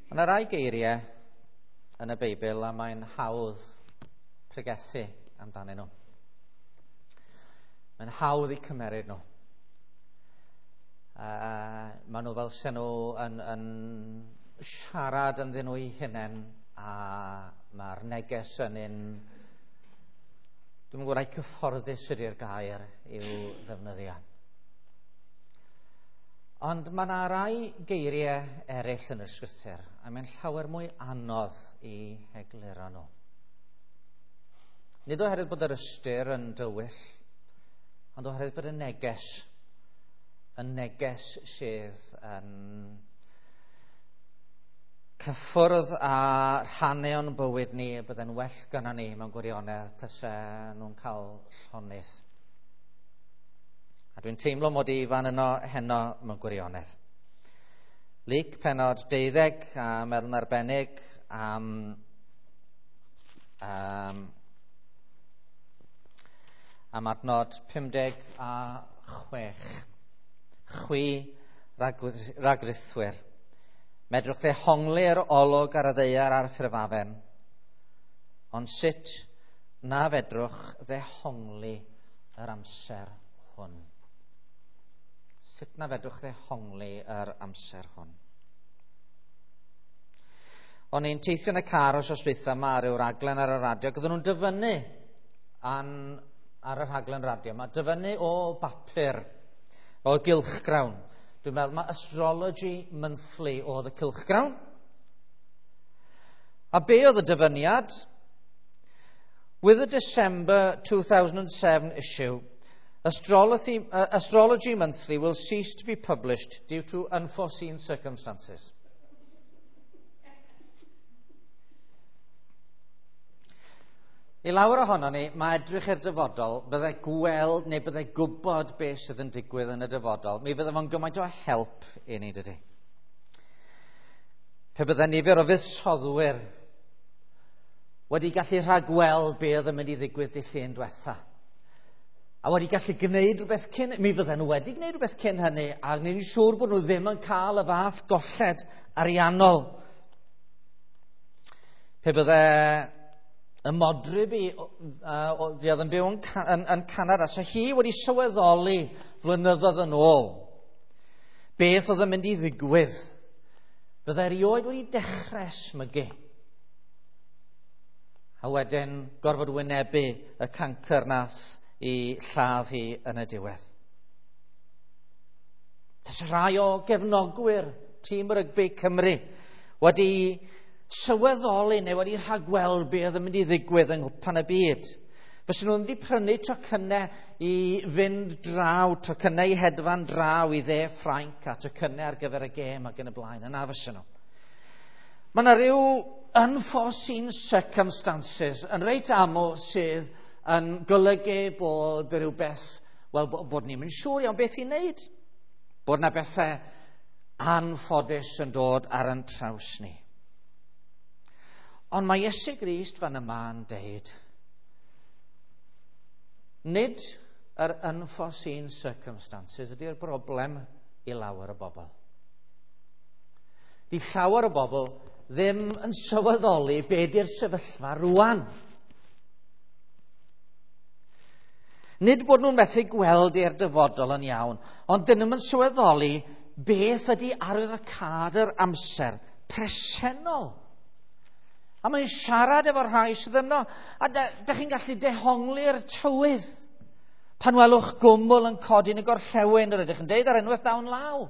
Mae yna rai geiriau yn y Beibl a mae'n hawdd pregethu amdanyn nhw. Mae'n hawdd i cymeryd nhw. Maen nhw fel sy'n nhw yn siarad ynddyn nhw eu hunain, a mae'r neges yn un... Dwi'n gwybod ai cyfforddus ydy'r gair i'w ddefnyddio. Ond mae yna rai geiriau eraill yn y Sgrythyr, a mae'n llawer mwy anodd i egluro nhw. Nid oherwydd bod yr ystyr yn dywyll, ond oherwydd bod y neges, y neges sydd yn cyffwrdd a rhannu o'n bywyd ni, y byddai'n well gynnon ni mewn gwirionedd tase nhw'n cael llonydd. A dwi'n teimlo mod i fan yno heno mewn gwirionedd. Luc penod 12, a meddwl yn arbennig am adnod 56. Chwi ragrithwyr. Medrwch ddehongli'r olwg ar y ddaear a'r ffurfafen, ond sut na fedrwch ddehongli yr amser hwn? Sut na fedrwch ddehongli yr amser hwn? O'n i'n teithio yn y car wsos dwytha yma ar ryw raglen ar y radio, ac oedden nhw'n dyfynnu ar y rhaglen radio yma, dyfynnu o bapur, o gylchgrawn. Dwi'n meddwl mae Astrology Monthly oedd y cylchgrawn. A be oedd y dyfyniad? With the December 2007 issue, Astrology Monthly will cease to be published due to unforeseen circumstances. I lawer ohono ni, mae edrych i'r dyfodol, byddai gweld neu byddai gwybod beth sydd yn digwydd yn y dyfodol. Mi fydde fo'n gymaint o help i ni, dydy. Pe byddai nifer o fuddsoddwyr wedi gallu rhagweld be oedd yn mynd i ddigwydd dydd Llun diwetha, a wedi gallu gwneud rhywbeth cyn, mi fydden nhw wedi gwneud rhywbeth cyn hynny, a ni'n siŵr bod nhw ddim yn cael y fath golled ariannol. Pe bydde y modryb i, fi oedd yn byw yn Canada, so hi wedi sylweddoli flynyddoedd yn ôl beth oedd yn mynd i ddigwydd. Bydde erioed wedi dechrau smygu. A wedyn gorfod wynebu y cancr nath i lladd hi yn y diwedd. Tas rhai o gefnogwyr tîm rygbi Cymru wedi sylweddoli neu wedi rhagweld be oedd yn mynd i ddigwydd yng Nghwpan y Byd. Fysen nhw wedi prynu tocynnau i fynd draw, tocynnau i hedfan draw i dde Ffrainc a tocynnau ar gyfer y gêm ac yn y blaen. Yna fysen nhw. Mae yna rhyw unforeseen circumstances yn reit aml sydd yn golygu bod rhywbeth, wel, bod ni'n mynd siŵr iawn beth i wneud. Bod yna bethau anffodus yn dod ar yn traws ni. Ond mae Iesu Grist fan yma yn deud, nid yr unforeseen circumstances ydy'r broblem i lawer o bobl. Di llawer o bobl ddim yn sylweddoli be di'r sefyllfa rwan. Nid bod nhw'n methu gweld i'r dyfodol yn iawn, ond dyn nhw'n sylweddoli beth ydy arwyddocâd yr amser presennol. A mae'n siarad efo'r rhai sydd yno. A da chi'n gallu dehongli'r tywydd. Pan welwch gwmwl yn codi yn y gorllewin, yr ydych yn deud ar unwaith dawn law.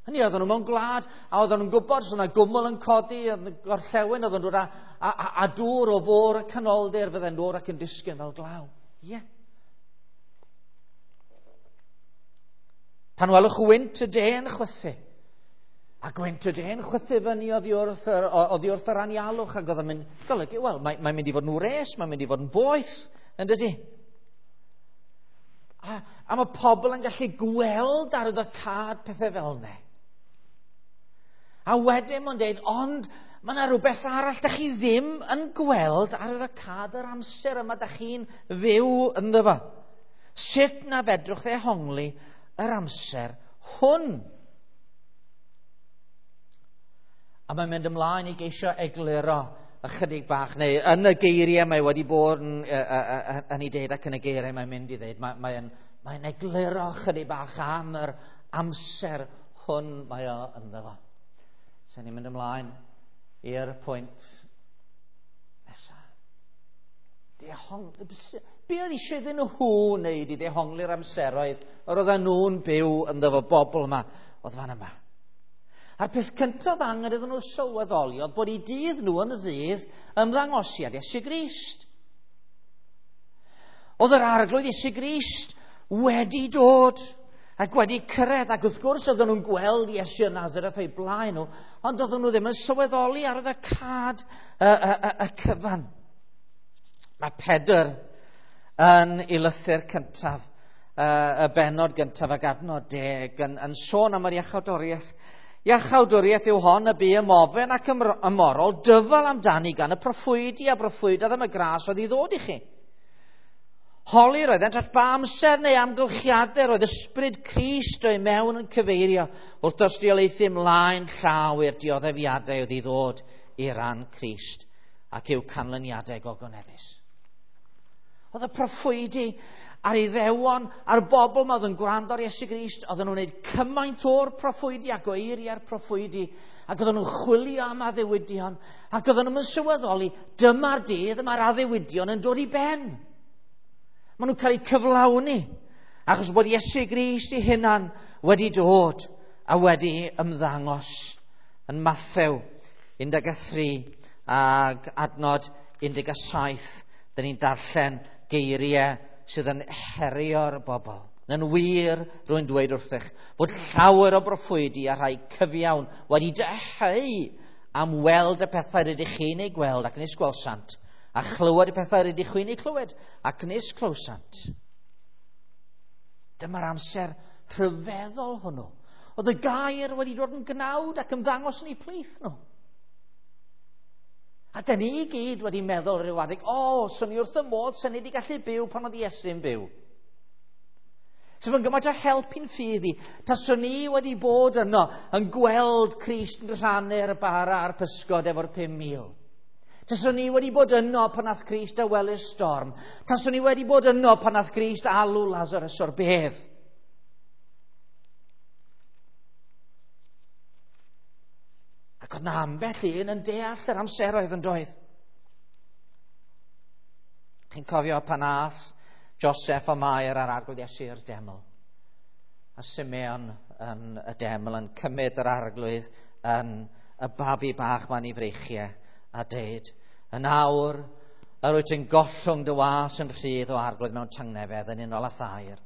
Hynny, oedden nhw mewn gwlad, a oedden nhw'n gwybod, so yna gwmwl yn codi yn y gorllewin, oedden nhw'n dod a dŵr o fôr y canoldir, fydde'n dod ac yn disgyn fel glaw. Ie. Pan welwch wynt y de'n chwythu, a gwynt y de'n chwythu fyny oddi wrth yr anialwch, ac oedd yn mynd, golygu, wel, mae'n mynd i fod yn wres, mae'n mynd i fod yn boeth, yn dydy? A mae pobl yn gallu gweld ar y cad pethau fel yna. A wedyn mae'n dweud, ond mae yna rhywbeth arall da chi ddim yn gweld ar y cad yr amser yma da chi'n fyw ynddo fo. Sut na fedrwch ddehongli yr amser hwn? A mae'n mynd ymlaen i geisio egluro ychydig bach, neu yn y geiriau mae wedi bod yn, yn ei deud ac yn y geiriau mae'n mynd i ddeud, mae'n egluro ychydig bach am yr amser hwn mae o ynddo fo. So ni'n mynd ymlaen i'r pwynt nesaf. Be oedd eisiau iddyn nhw wneud i ddehongli'r amseroedd yr oedden nhw'n byw ynddo fo, bobl yma, oedd fan yma? A'r peth cyntaf angen iddyn nhw sylweddoli oedd bod eu dydd nhw yn y ddydd ymddangosiad Iesu Grist. Oedd yr Arglwydd Iesu Grist wedi dod ac wedi cyrraedd, ac wrth gwrs oedden nhw'n gweld Iesu o Nazareth o'i blaen nhw, ond oedden nhw ddim yn sylweddoli ar y cad y cyfan. Mae Pedr yn ei lythyr cyntaf, y bennod gyntaf ac adnod 10, yn sôn am yr iachawdwriaeth. Iachawdwriaeth yw hon y bu ymofyn ac ymorol dyfal amdani gan y proffwydi a broffwydodd am y gras oedd i ddod i chi. Holi roeddent at ba amser neu amgylchiadau roedd ysbryd Crist o'i mewn yn cyfeirio wrth dystiolaethu ymlaen llaw i'r dioddefiadau oedd i ddod i ran Crist ac i'w canlyniadau gogoneddus. Oedd y proffwydi a'r Iddewon a'r bobl ma oedd yn gwrando ar Iesu Grist, oedden nhw'n gwneud cymaint o'r proffwydi ac o eiriau'r proffwydi, ac oedden nhw'n chwilio am addewidion, ac oedden nhw'n sylweddoli, dyma'r dydd, mae'r addewidion yn dod i ben. Maen nhw'n cael eu cyflawni, achos bod Iesu Grist ei hunan wedi dod a wedi ymddangos. Yn Mathew 13 ac adnod 17, dyn ni'n darllen geiriau sydd yn herio'r bobl. Yn wir, rwy'n dweud wrthych, bod llawer o broffwydi a rhai cyfiawn wedi dyheu am weld y pethau rydych chi'n eu gweld ac nis gwelsant, a chlywed y pethau rydych chi'n eu clywed ac nis clywsant. Dyma'r amser rhyfeddol hwnnw. Oedd y gair wedi dod yn gnawd ac ymddangos yn eu plith nhw. A dyn ni i gyd wedi meddwl rhyw adeg, o, swn i wrth y modd, swn i wedi gallu byw pan oedd Iesu'n byw. Sef yn gymaint o help i'n ffydd i, taswn i wedi bod yno yn gweld Crist yn rhannu'r bara a'r pysgod efo'r 5,000. Taswn i wedi bod yno pan nath Crist awelu'r storm. Taswn i wedi bod yno pan nath Crist alw Lazarus o'r bedd. Ac oedd na ambell un yn deall yr amseroedd yn doedd. Chi'n cofio pan ath Joseph a Mair a'r Arglwydd Iesu i'r deml. A Simeon yn y deml yn cymryd yr Arglwydd yn y babi bach ma'n ei freichiau a deud, yn awr, yr wyt yn gollwng dy was yn rhydd o Arglwydd mewn tangnefedd yn unol â thair,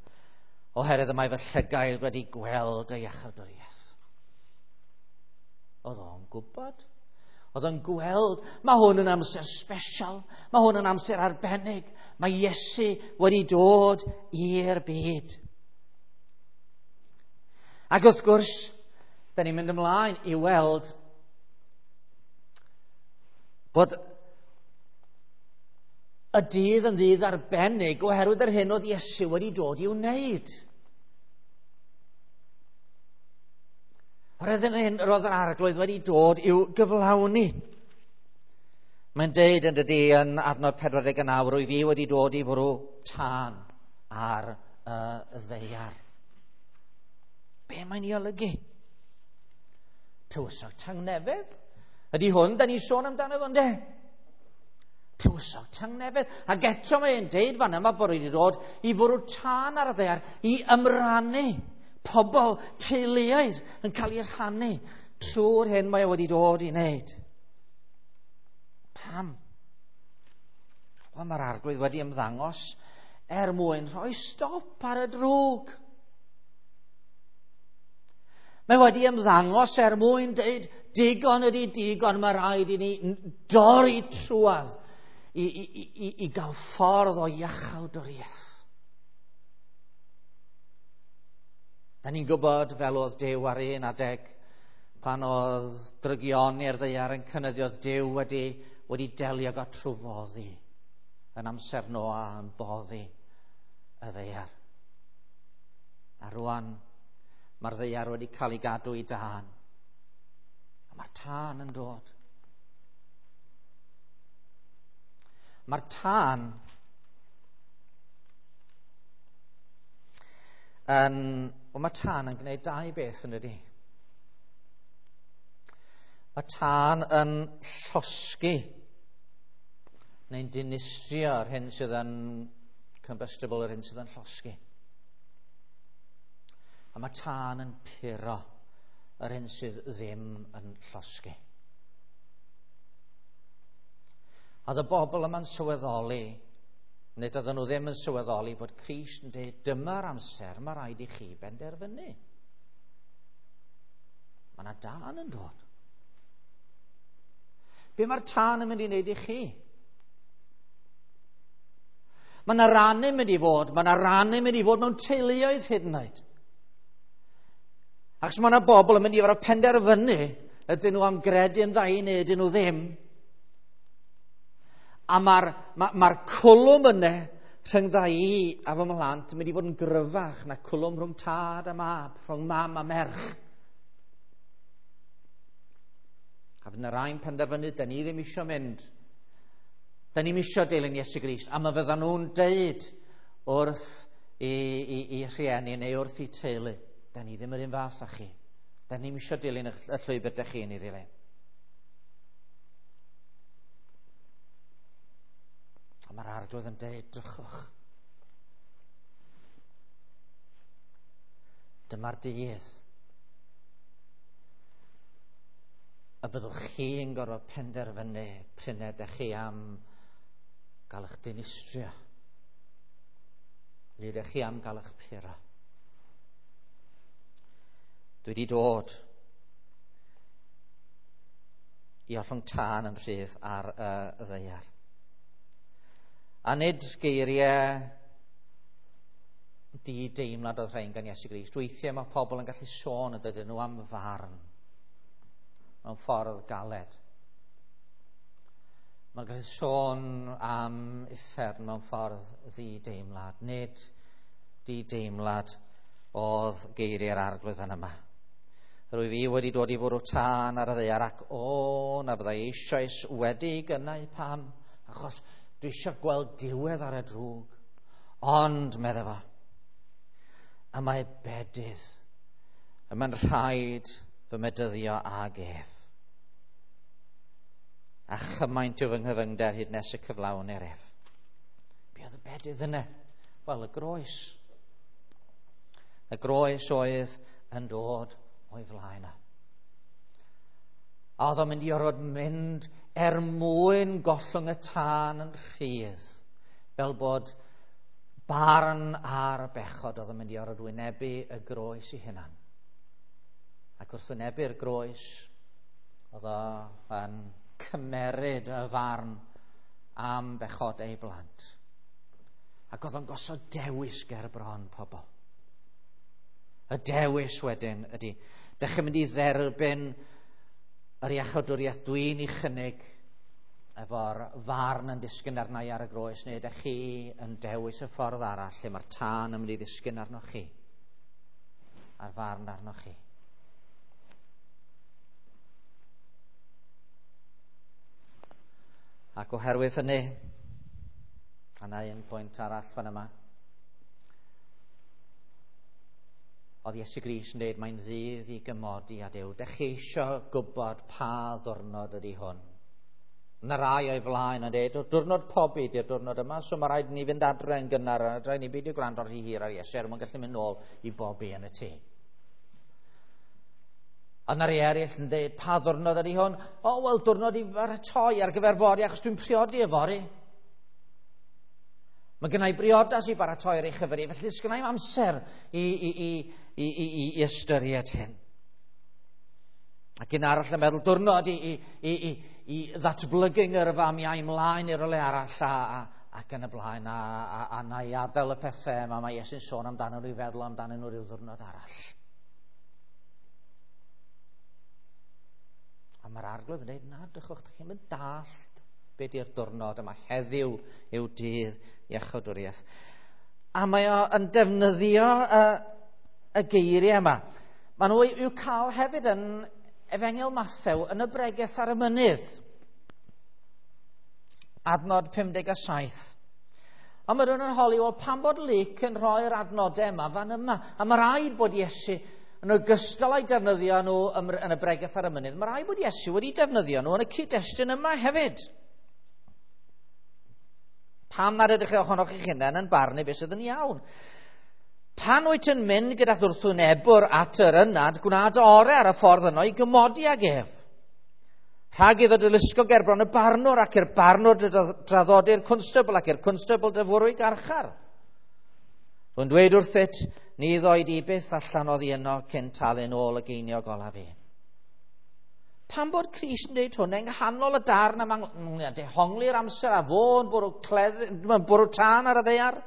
oherwydd y mae fy llygaid wedi gweld y iachawdwriaeth. Oedd o'n gwybod. Oedd o'n gweld, mae hwn yn amser special, mae hwn yn amser arbennig, mae Iesu wedi dod i'r byd. Ac wrth gwrs, da ni'n mynd ymlaen i weld bod y dydd yn ddydd arbennig oherwydd yr hyn oedd Iesu wedi dod i'w wneud. Oherwydd yr hyn roedd yr Arglwydd wedi dod i'w gyflawni. Mae'n deud yn dydy yn adnod 49, rwy fi wedi dod i fwrw tân ar y ddaear. Be mae'n ei olygu? Tywysog tangnefedd? Ydy hwn, da ni'n sôn amdano fo, ynde? Tywysog tangnefedd. Ac eto mae'n deud fan yma bod wedi dod i fwrw tân ar y ddaear, i ymrannu pobl, teuluoedd yn cael eu rhannu trwy'r hyn mae o wedi dod i wneud. Pam? Wel, mae'r Arglwydd wedi ymddangos er mwyn rhoi stop ar y drwg. Mae wedi ymddangos er mwyn deud digon ydy digon, mae rhaid i ni dorri trwadd i gael ffordd o iachawdwriaeth. Da ni'n gwybod fel oedd Duw ar un adeg pan oedd drygion i'r ddaear yn cynyddu, oedd Duw wedi delio â trwfoddi yn amser Noa yn boddi y ddaear. A rwan mae'r ddaear wedi cael ei gadw i dân. A mae'r tân yn dod. Mae'r tân yn... Wel, mae tân yn gwneud dau beth yn ydy. Mae tân yn llosgi neu'n dinistrio yr hyn sydd yn combustible, yr hyn sydd yn llosgi. A mae tân yn puro yr hyn sydd ddim yn llosgi. A oedd y bobl yma'n sylweddoli, nid oedden nhw ddim yn sylweddoli bod Crist yn dweud, dyma'r amser mae rhaid i chi benderfynu. Mae yna dân yn dod. Be mae'r tân yn mynd i wneud i chi? Mae yna rannu mynd i fod, mae yna rannu mynd i fod mewn teuluoedd hyd yn oed. Achos mae yna bobl yn mynd i fod penderfynu ydyn nhw am gredu yn dda i neu ydyn nhw ddim. A mae'r ma cwlwm yna rhyngdda i a fy mhlant yn mynd i fod yn gryfach na cwlwm rhwng tad a mab, rhwng mam a merch. A fydd yna rai'n penderfynu, da ni ddim eisiau mynd. Da ni'm eisiau dilyn Iesu Grist. A mae fyddan nhw'n deud wrth i rhieni neu wrth i teulu, da ni ddim yr un fath â chi. Da ni'm eisiau dilyn y llwybr da chi'n ei ddilyn. A mae'r Arglwydd yn deud, drychwch. Dyma'r dydd y byddwch chi'n gorfod penderfynu pryd ydych chi am gael eich dinistrio. Neu ydych chi am gael eich puro. Dwi wedi dod i ollwng tân yn rhydd ar y ddaear. A nid geiriau di-deimlad oedd rhain gan Iesu Grist. Weithiau mae pobl yn gallu sôn y dydyn nhw am farn mewn ffordd galed. Mae'n gallu sôn am uffern mewn ffordd ddi-deimlad. Nid di-deimlad oedd geiriau'r Arglwydd fan yma. Rwyf i wedi dod i fwrw tân ar y ddaear ac o, na byddai eisoes wedi gynnau pam, achos dwi eisiau gweld diwedd ar y drwg. Ond, medde fo, y mae bedydd, y mae'n rhaid fy medyddio ag ef. A chymaint yw fy nghyfyngder hyd nes y cyflawnir ef. Be oedd y bedydd yna? Wel, y groes. Y groes oedd yn dod o'i flaen o. A oedd o'n mynd i orfod mynd er mwyn gollwng y tân yn rhydd, fel bod barn ar y bechod oedd o'n mynd i orfod wynebu y groes i hunan. Ac wrth wynebu'r groes, oedd o'n cymeryd y farn am bechod ei blant. Ac oedd o'n gosod dewis ger bron pobl. Y dewis wedyn ydy, dych chi'n mynd i dderbyn yr iachawdwriaeth dwi'n ei chynnig efo'r farn yn disgyn arna i ar y groes, neu ydych chi yn dewis y ffordd arall lle mae'r tân yn mynd i ddisgyn arnoch chi, a'r farn arnoch chi. Ac oherwydd hynny, a na un pwynt arall fan yma, oedd Iesu Grist yn dweud mae'n ddydd i gymodi â Duw. Dych chi eisiau gwybod pa ddwrnod ydy hwn? Yna rai o'i flaen yn dweud, diwrnod pobi di'r diwrnod yma, so mae rhaid ni fynd adre yn gynnar, a rhaid ni beidio gwrando rhy hir ar Iesu, er mwyn gallu mynd nôl i bobi yn y tŷ. A yna rai eraill yn dweud, pa ddwrnod ydy hwn? O, wel, diwrnod i baratoi ar gyfer fory, achos dwi'n priodi yfory. Mae gennau briodas i baratoi ar ei chyfer i, felly sgynna i'm amser i ystyried hyn. Ac un arall yn meddwl, diwrnod i ddatblygu ngyrfa mi a'i mlaen i'r rywle arall ac yn y blaen, a na i adael y pethau yma mae Iesu'n sôn amdano nhw i feddwl amdano nhw rhyw ddiwrnod arall. A mae'r Arglwydd yn dweud, na, drychwch, dych chi'n mynd dallt be di'r diwrnod yma. Heddiw yw dydd iachawdwriaeth. A mae o yn defnyddio y geiriau yma. Maen nhw i'w cael hefyd yn Efengyl Mathew yn y bregeth ar y mynydd. Adnod 57. A mae rhywun yn holi, wel, pam bod Luc yn rhoi'r adnodau yma fan yma? A mae rhaid bod Iesu, yn ogystal â'i defnyddio nhw yn y bregeth ar y mynydd, mae rhaid bod Iesu wedi defnyddio nhw yn y cyd-destun yma hefyd. Pam nad ydych chi ohonoch chi'ch hunain yn barnu beth sydd yn iawn? Pan wyt yn mynd gyda wrthwynebwr at yr ynad, gwna dy orau ar y ffordd yno i gymodi ag ef. Rhag iddo dy lusgo gerbron y barnwr ac i'r barnwr dy draddodi'r cwnstabl ac i'r cwnstabl dy fwrw i garchar. Rwy'n dweud wrthyt, ni ddoi di byth allan oddi yno cyn talu'n ôl y geiniog olaf un. Pam bod Crist yn dweud hwn yng nghanol y darn am dehongli'r amser a fo'n bwrw, cledd, bwrw tân ar y ddaear?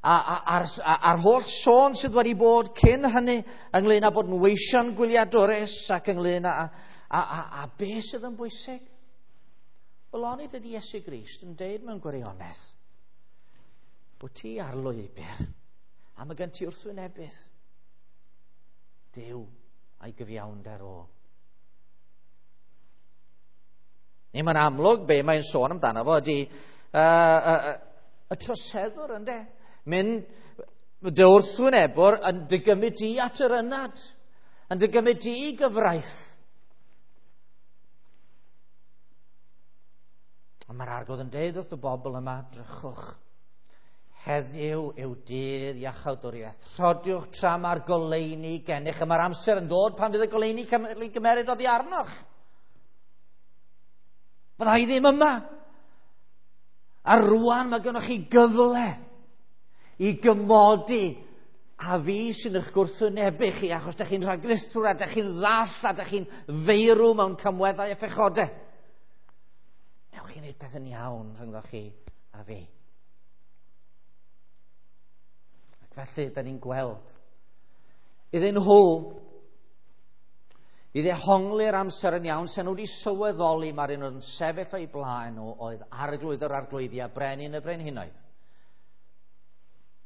A'r holl sôn sydd wedi bod cyn hynny ynglyn â bod yn weision gwyliadwrus ac ynglyn â, a, a, a beth sydd yn bwysig? Wel, onid ydy Iesu Grist yn deud mewn gwirionedd bod ti ar lwybr a mae gen ti wrthwynebydd. Duw a'i gyfiawnder o. Neu mae'n amlwg be mae'n sôn amdano fo ydy y troseddwr, ynde? Mynd dy wrthwynebwr yn dy gymryd di at yr ynad, yn dy gymryd di i gyfraith. Ond mae'r Arglwydd yn deud wrth y bobl yma, drychwch, heddiw yw dydd iachawdwriaeth. Rhodiwch tra mae'r goleuni gennych, a mae'r amser yn dod pan fydd y goleuni cael ei gymeryd oddi arnoch. Fydda i ddim yma. A rwan mae gennych chi gyfle i gymodi a fi sy'n eich gwrthwynebu chi, achos da chi'n rhaglithwr a da chi'n ddall a da chi'n feirw mewn camweddau a phechodau. Newch chi wneud peth yn iawn rhyngddo chi a fi. Ac felly, da ni'n gweld iddyn nhw i ddehongli'r amser yn iawn, sen nhw wedi sylweddoli mae'r un oedd yn sefyll o'i blaen nhw oedd Arglwydd yr Arglwyddi a Brenin y Brenhinoedd.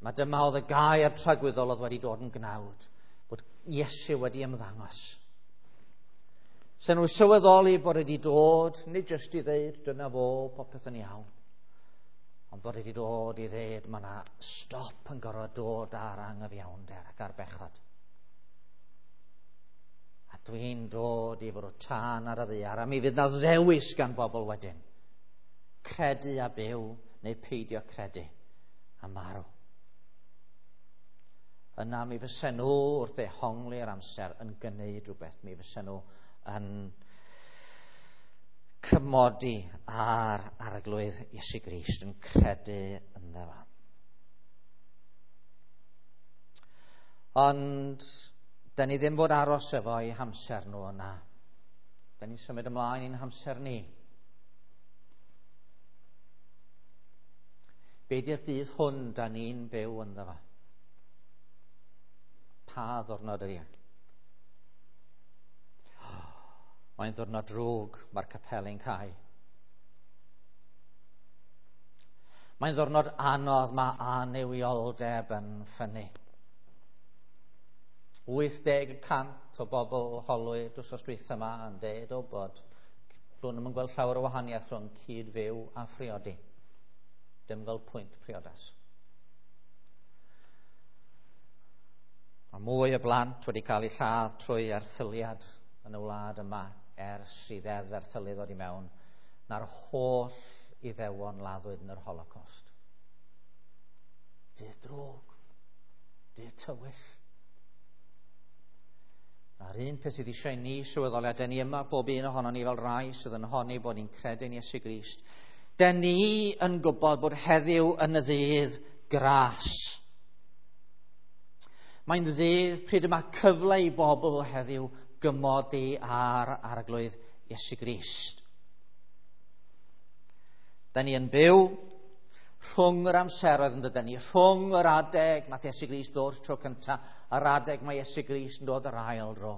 Mae dyma oedd y gair tragwyddol oedd wedi dod yn gnawd, bod Iesu wedi ymddangos. Sen nhw sylweddoli bod wedi dod, nid jyst i ddeud, dyna fo, popeth yn iawn, ond bod wedi dod i ddeud, mae yna stop yn gorfod dod ar anghyfiawnder ac ar bechod. A dwi'n dod i fwrw tân ar y ddaear, a mi fydd na ddewis gan bobl wedyn. Credu a byw, neu peidio credu a marw. Yna mi fysen nhw wrth ddehongli'r amser yn gwneud rhywbeth. Mi fysen nhw yn cymodi ar Arglwydd Iesu Grist, yn credu ynddo fo. Ond da ni ddim fod aros efo'i hamser nhw yna. Da ni'n symud ymlaen i'n hamser ni. Be di'r dydd hwn da ni'n byw ynddo fo? Pa ddwrnod ydy e? Mae'n ddwrnod drwg, mae'r capeli'n cau. Mae'n ddwrnod anodd, mae annuwioldeb yn ffynnu. 80% o bobl holwyd wrth dwytha yma yn deud o bod nhw'n ddim yn gweld llawer o wahaniaeth rhwng cyd-fyw a phriodi. Dim fel pwynt priodas. Mae mwy o blant wedi cael eu lladd trwy erthyliad yn y wlad yma ers i ddeddf erthylu ddod i mewn na'r holl Iddewon laddwyd yn yr Holocaust. Dydd drwg, dydd tywyll. Na'r un peth sydd eisiau ni sylweddoli, a den ni yma bob un ohono ni fel rai sydd yn honni bod ni'n credu'n Iesu Grist. Den ni yn gwybod bod heddiw yn y ddydd gras. Mae'n ddydd pryd yma cyfle i bobl heddiw gymodi ar Arglwydd Iesu Grist. Da ni yn byw rhwng yr amseroedd yn dydyn ni, rhwng yr adeg nath Iesu Grist ddod tro cyntaf, a'r adeg mae Iesu Grist yn dod yr ail dro.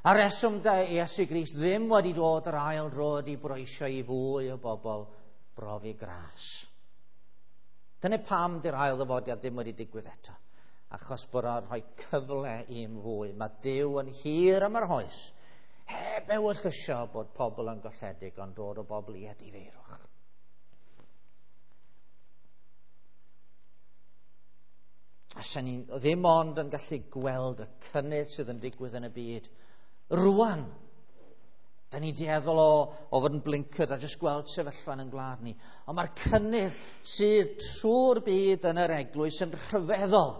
A reswm da Iesu Grist ddim wedi dod yr ail dro ydy bod eisiau i fwy o bobl brofi gras. Dyna pam di'r ail ddyfodiad ddim wedi digwydd eto. Achos bod o'n rhoi cyfle i'n fwy. Mae Duw yn hir am yr hoes. Heb ewyllysio bod pobl yn golledig, ond dod o bobl i edifeirwch. A sy'n ni ddim ond yn gallu gweld y cynnydd sydd yn digwydd yn y byd. Rwan, da ni'n dueddol o fod yn blinkered a jyst gweld sefyllfa yn gwlad ni. Ond mae'r cynnydd sydd trwy'r byd yn yr eglwys yn rhyfeddol.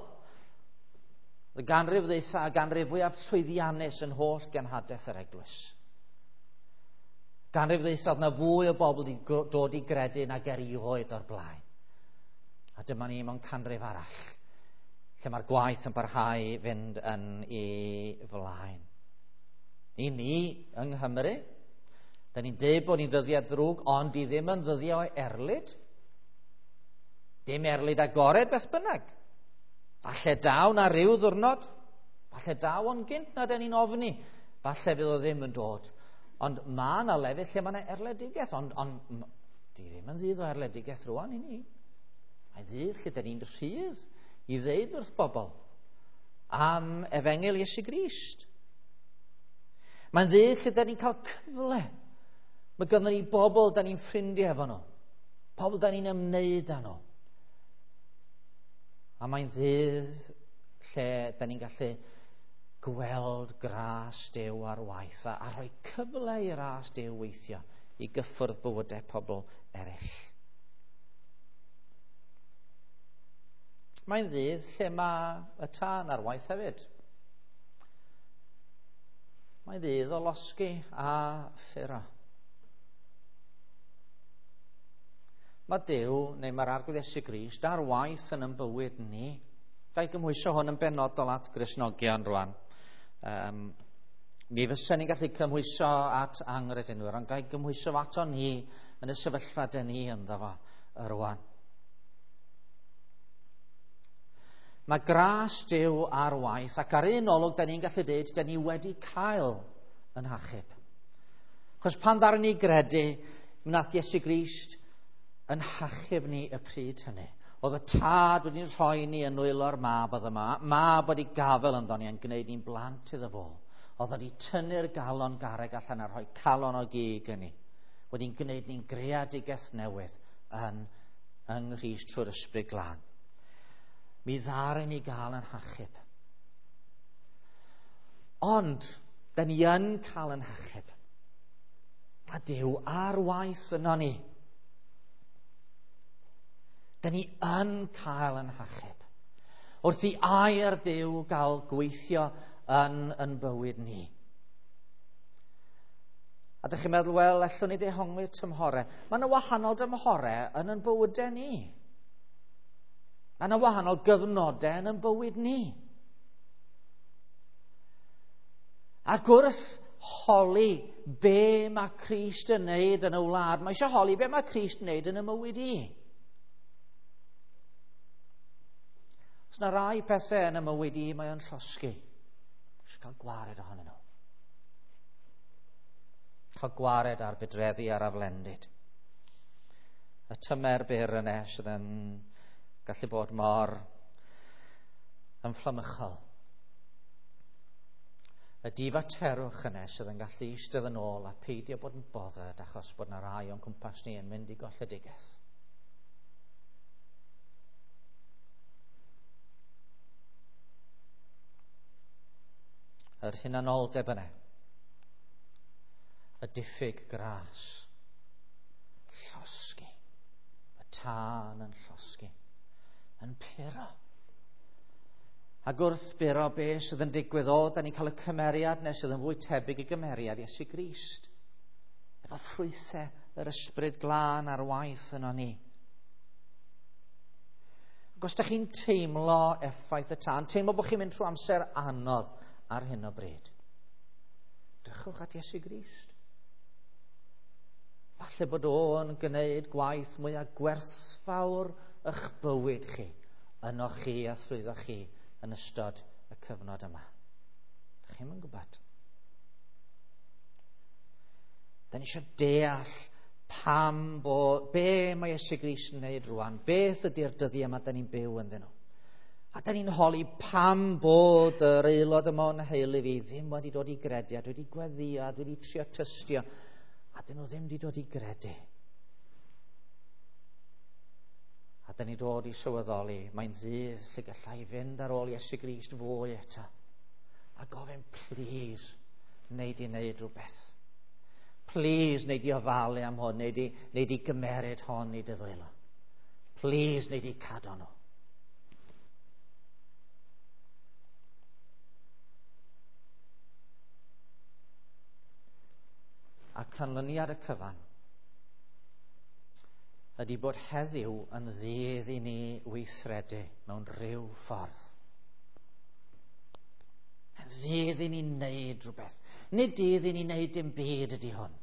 Y ganrif ddeitha a ganrif fwyaf llwyddiannus yn holl genhadaeth yr eglwys. Ganrif ddeitha oedd na fwy o bobl wedi dod i gredu nag erioed o'r blaen. A dyma ni mewn canrif arall, lle mae'r gwaith yn parhau i fynd yn ei flaen. I ni yng Nghymru, da ni'n deud bod ni'n ddyddiau drwg, ond di ddim yn ddyddiau o erlid. Dim erlid agored beth bynnag. Falle daw na ryw ddwrnod, falle daw o'n gynt na da ni'n ofni, falle fydd o ddim yn dod. Ond mae yna lefydd lle mae yna erledigaeth, ond di ddim yn ddydd o erledigaeth rwan i ni. Mae'n ddydd lle da ni'n rhydd i ddeud wrth bobl am efengyl Iesu Grist. Mae'n ddydd lle da ni'n cael cyfle. Mae gynnon ni bobl da ni'n ffrindiau efo nhw. Pobl da ni'n ymwneud â nhw. A mae'n ddydd lle da ni'n gallu gweld gras Duw ar waith a rhoi cyfle i ras Duw weithio i gyffwrdd bywydau pobl eraill. Mae'n ddydd lle mae y tân ar waith hefyd. Mae'n ddydd o losgi a ffuro. Mae Duw, neu mae'r Arglwydd Iesu Grist, ar waith yn ein bywyd ni. Ga i gymhwyso hwn yn benodol at Gristnogion rwan. Mi fysen ni'n gallu cymhwyso at anghredinwyr, ond ga i gymhwyso ato ni yn y sefyllfa dyn ni ynddo fo rwan. Mae gras Duw ar waith, ac ar un olwg, da ni'n gallu dweud, da ni wedi cael yn hachub. Achos pan ddaru ni gredu, wnaeth Iesu Grist yn hachub ni y pryd hynny. Oedd y tad wedi'n rhoi ni yn nwylo'r mab, oedd y mab wedi gafel ynddo ni yn gwneud ni'n blant iddo fo. Oedd wedi tynnu'r galon garreg allan a rhoi calon o gig yn ni. Wedi'n gwneud ni'n greadigaeth newydd yng Nghrist trwy'r Ysbryd Glân. Mi ddaru ni gael yn hachub. Ond, da ni yn cael yn hachub. Mae Duw ar waith yno ni. Da ni yn cael yn hachub. Wrth i air Duw gael gweithio yn bywyd ni. A dych chi'n meddwl, wel, allwn ni ddehongli'r tymhorau. Mae yna wahanol dymhorau yn ein bywydau ni. Mae yna wahanol gyfnodau yn ein bywyd ni. Ac wrth holi be mae Crist yn neud yn y wlad, mae eisiau holi be mae Crist yn neud yn y mywyd i. Os na rai pethau yn y mywyd i, mae o'n llosgi. Eisiau cael gwared ohonyn nhw. Cael gwared ar bydreddi a'r aflendid. Y tymer byr yna sydd yn gallu bod mor ymfflamychol. Y difaterwch yna sydd yn gallu eistedd yn ôl a peidio bod yn bothered achos bod yna rai o'n cwmpas ni yn mynd i golledigaeth. Yr hunanoldeb yna, y diffyg gras, llosgi, y tân yn llosgi, yn puro. Ac wrth buro be sydd yn digwydd o, da ni'n cael y cymeriad nes sydd yn fwy tebyg i gymeriad Iesu Grist. Efo ffrwythau yr Ysbryd Glân ar waith yno ni. Ac os da chi'n teimlo effaith y tân, teimlo bod chi'n mynd trwy amser anodd ar hyn o bryd, drychwch at Iesu Grist. Falle bod o'n gwneud gwaith mwyaf gwerthfawr eich bywyd chi, yno chi a thrwyddo chi yn ystod y cyfnod yma. Dych chi'm yn gwybod. Da ni eisiau deall pam bo, be mae Iesu Grist yn wneud rwan, beth ydy'r dyddiau yma da ni'n byw ynddyn nhw. A da ni'n holi pam bod yr aelod yma o'n heulu fi ddim wedi dod i gredu, a dwi wedi gweddio, a dwi wedi trio tystio, a dyn nhw ddim wedi dod i gredu. A da ni dod i sylweddoli, mae'n ddydd lle gallai fynd ar ôl Iesu Grist fwy eto. A gofyn, please, wneud i wneud rhywbeth. Please, wneud i ofalu am hwn, wneud i, wneud i gymeryd hon i dy ddwylo. Please, wneud i cadw nhw. A canlyniad y cyfan ydy bod heddiw yn ddydd i ni weithredu mewn rhyw ffordd. Yn ddydd i ni wneud rhywbeth. Nid dydd i ni wneud dim byd ydy hwn.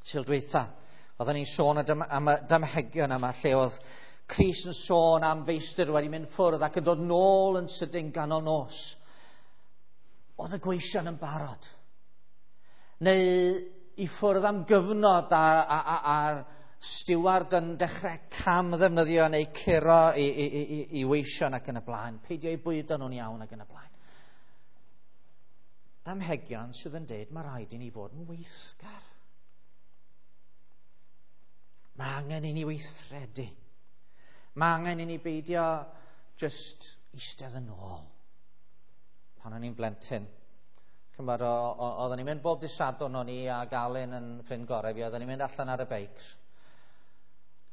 Sil dweitha, oedden ni'n sôn am y damhegion yma lle oedd Crist yn sôn am feistr wedi mynd ffwrdd ac yn dod nôl yn sydyn ganol nos. Oedd y gweision yn barod. Neu i ffwrdd am gyfnod a'r stiward yn dechrau cam ddefnyddio neu curo i, i, i, i weision ac yn y blaen. Peidio i bwydo nhw'n iawn ac yn y blaen. Damhegion sydd yn deud mae rhaid i ni fod yn weithgar. Mae angen i ni weithredu. Mae angen i ni beidio just eistedd yn ôl. Pan o'n i'n blentyn, chymod, oedden ni'n mynd bob dydd Sadwrn o'n i ac Alun yn ffrind gorau fi, oedden ni'n mynd allan ar y beics.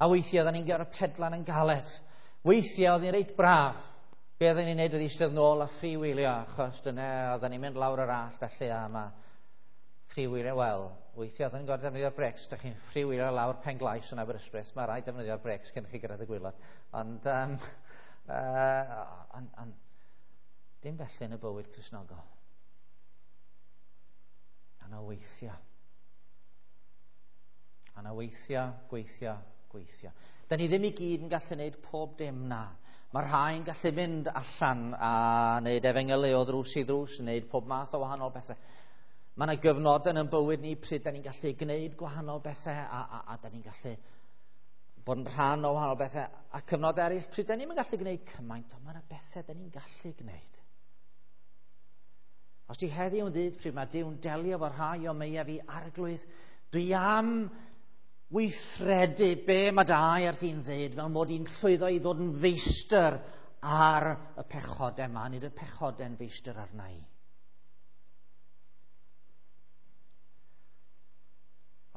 A weithiau oedden ni'n gyrru pedlan yn galed. Weithiau oedd hi'n reit braf. Be oedden ni'n neud oedd eistedd nôl a freewheelio, achos dyna oedden ni'n mynd lawr yr all felly a ma freewheelio, wel, weithiau oedden ni'n gorfod defnyddio'r brecs. Dych chi'n freewheelio lawr Pen Glais yn Aberystwyth, mae rhaid defnyddio'r brecs cyn chi gyrraedd y gwaelod. Ond, on, dim felly yn y bywyd Cristnogol. Yna weithio. Yna weithio, gweithio, gweithio. Da ni ddim i gyd yn gallu gwneud pob dim na. Mae rhai yn gallu mynd allan a wneud efengylu o ddrws i ddrws, wneud pob math o wahanol bethau. Mae yna gyfnodau yn bywyd ni pryd da ni'n gallu gwneud gwahanol bethau a da ni'n gallu bod yn rhan o wahanol bethau. A cyfnod eraill pryd da ni'n gallu gwneud cymaint, ond mae yna bethau da ni'n gallu gwneud. Os di heddiw yn ddydd pryd mae Duw'n delio efo rhai o meia fi, Arglwydd, dwi am weithredu be mae dy air di'n ddeud, fel mod i'n llwyddo i ddod yn feistr ar y pechodau yma, nid y pechodau'n feistr arna i.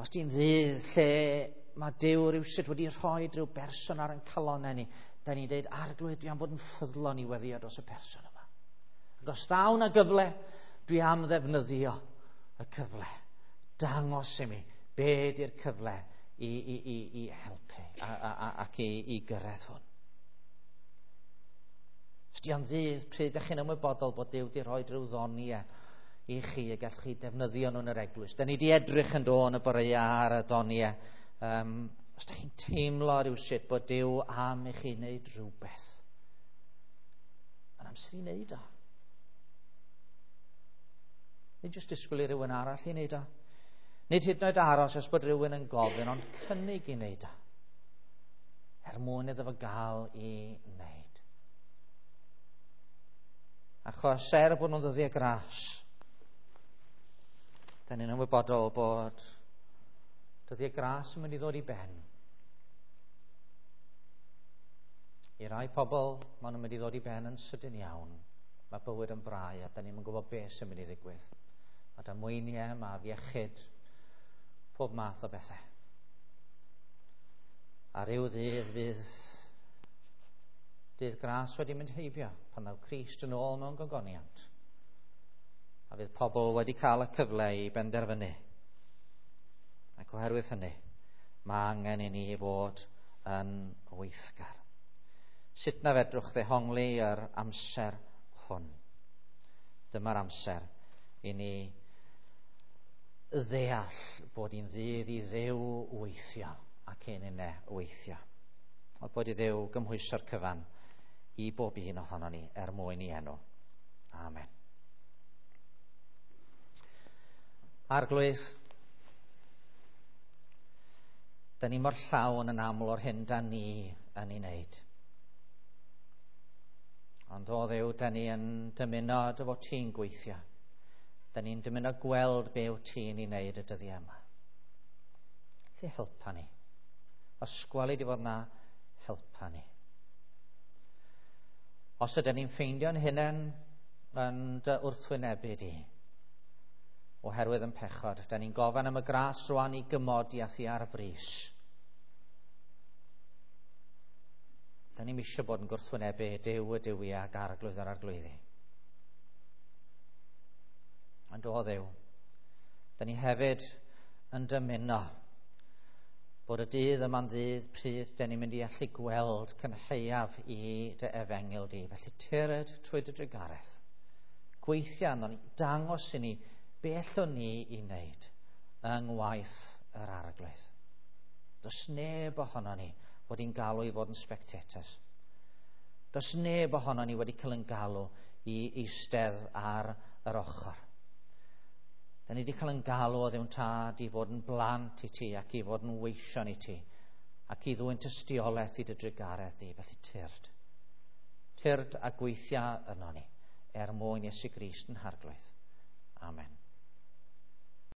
Os di'n ddydd lle mae Duw rywsut wedi rhoi rhyw berson ar ein calonnau ni, da ni'n dweud, Arglwydd, dwi am fod yn ffyddlon i weddio dros y person yma. Ac os ddaw na gyfle, dwi am ddefnyddio y cyfle. Dangos i mi be di'r cyfle i helpu ac i gyrraedd hwn. Os di o'n ddydd pryd ydych chi'n ymwybodol bod Duw wedi rhoi rhyw ddoniau i chi y gallwch chi defnyddio nhw yn yr eglwys. Da ni wedi edrych yn do yn y boreau ar y doniau. Os ydych chi'n teimlo rhywsut bod Duw am i chi wneud rhywbeth, mae'n amser i wneud o. Nid jyst disgwyl i rhywun arall i wneud o. Nid hyd yn oed aros os bod rhywun yn gofyn, ond cynnig i wneud o. Er mwyn iddo fo gael i wneud. Achos er bod nhw'n ddyddiau gras, da ni'n ymwybodol bod dyddiau gras yn mynd i ddod i ben. I rai pobl, maen nhw'n mynd i ddod i ben yn sydyn iawn. Mae bywyd yn brau a da ni'n gwybod beth sy'n mynd i ddigwydd. Mae damweiniau, mae afiechyd, pob math o bethau. A ryw ddydd fydd dydd gras wedi mynd heibio pan ddaw Crist yn ôl mewn gogoniant. A fydd pobl wedi cael y cyfle i benderfynu. Ac oherwydd hynny, mae angen i ni fod yn weithgar. Sut na fedrwch ddehongli yr amser hwn? Dyma'r amser i ni ddeall bod hi'n ddydd i Dduw weithio ac un unne weithio. A bod i Dduw gymhwyso'r cyfan i bob un ohono ni er mwyn i enw. Amen. Arglwydd, Da ni mor llawn yn aml o'r hyn da ni yn ei wneud. Ond o Dduw, da ni yn dymuno dy fod ti'n gweithio. Da ni'n dymuno gweld be wyt ti'n ei wneud y dyddiau yma. Felly helpa ni. Os gweli di fod na, helpa ni. Os ydyn ni'n ffeindio'n hunain yn dy wrthwynebu di, oherwydd yn pechod, da ni'n gofyn am y gras rwan i gymodi â thi ar frys. Da ni'n eisiau bod yn gwrthwynebu Duw y duwiau ac arglwydd yr arglwyddi. Ond o Dduw, da ni hefyd yn dymuno bod y dydd yma'n ddydd pryd da ni'n mynd i allu gweld cynhaeaf i dy efengyl di. Felly tyrd trwy dy drugaredd. Gweithio arnon ni, dangos i ni be allwn ni i wneud yng ngwaith yr arglwydd. Does neb ohono ni wedi'n galw i fod yn spectators. Does neb ohono ni wedi cael yn galw i eistedd ar yr ochr. Da ni wedi cael yn galw o Dduw'n Tad i fod yn blant i ti ac i fod yn weision i ti ac i ddwyn tystiolaeth i dy drugaredd di. Felly tyrd. Tyrd a gweithia yno ni er mwyn Iesu Grist yn harglwydd. Amen.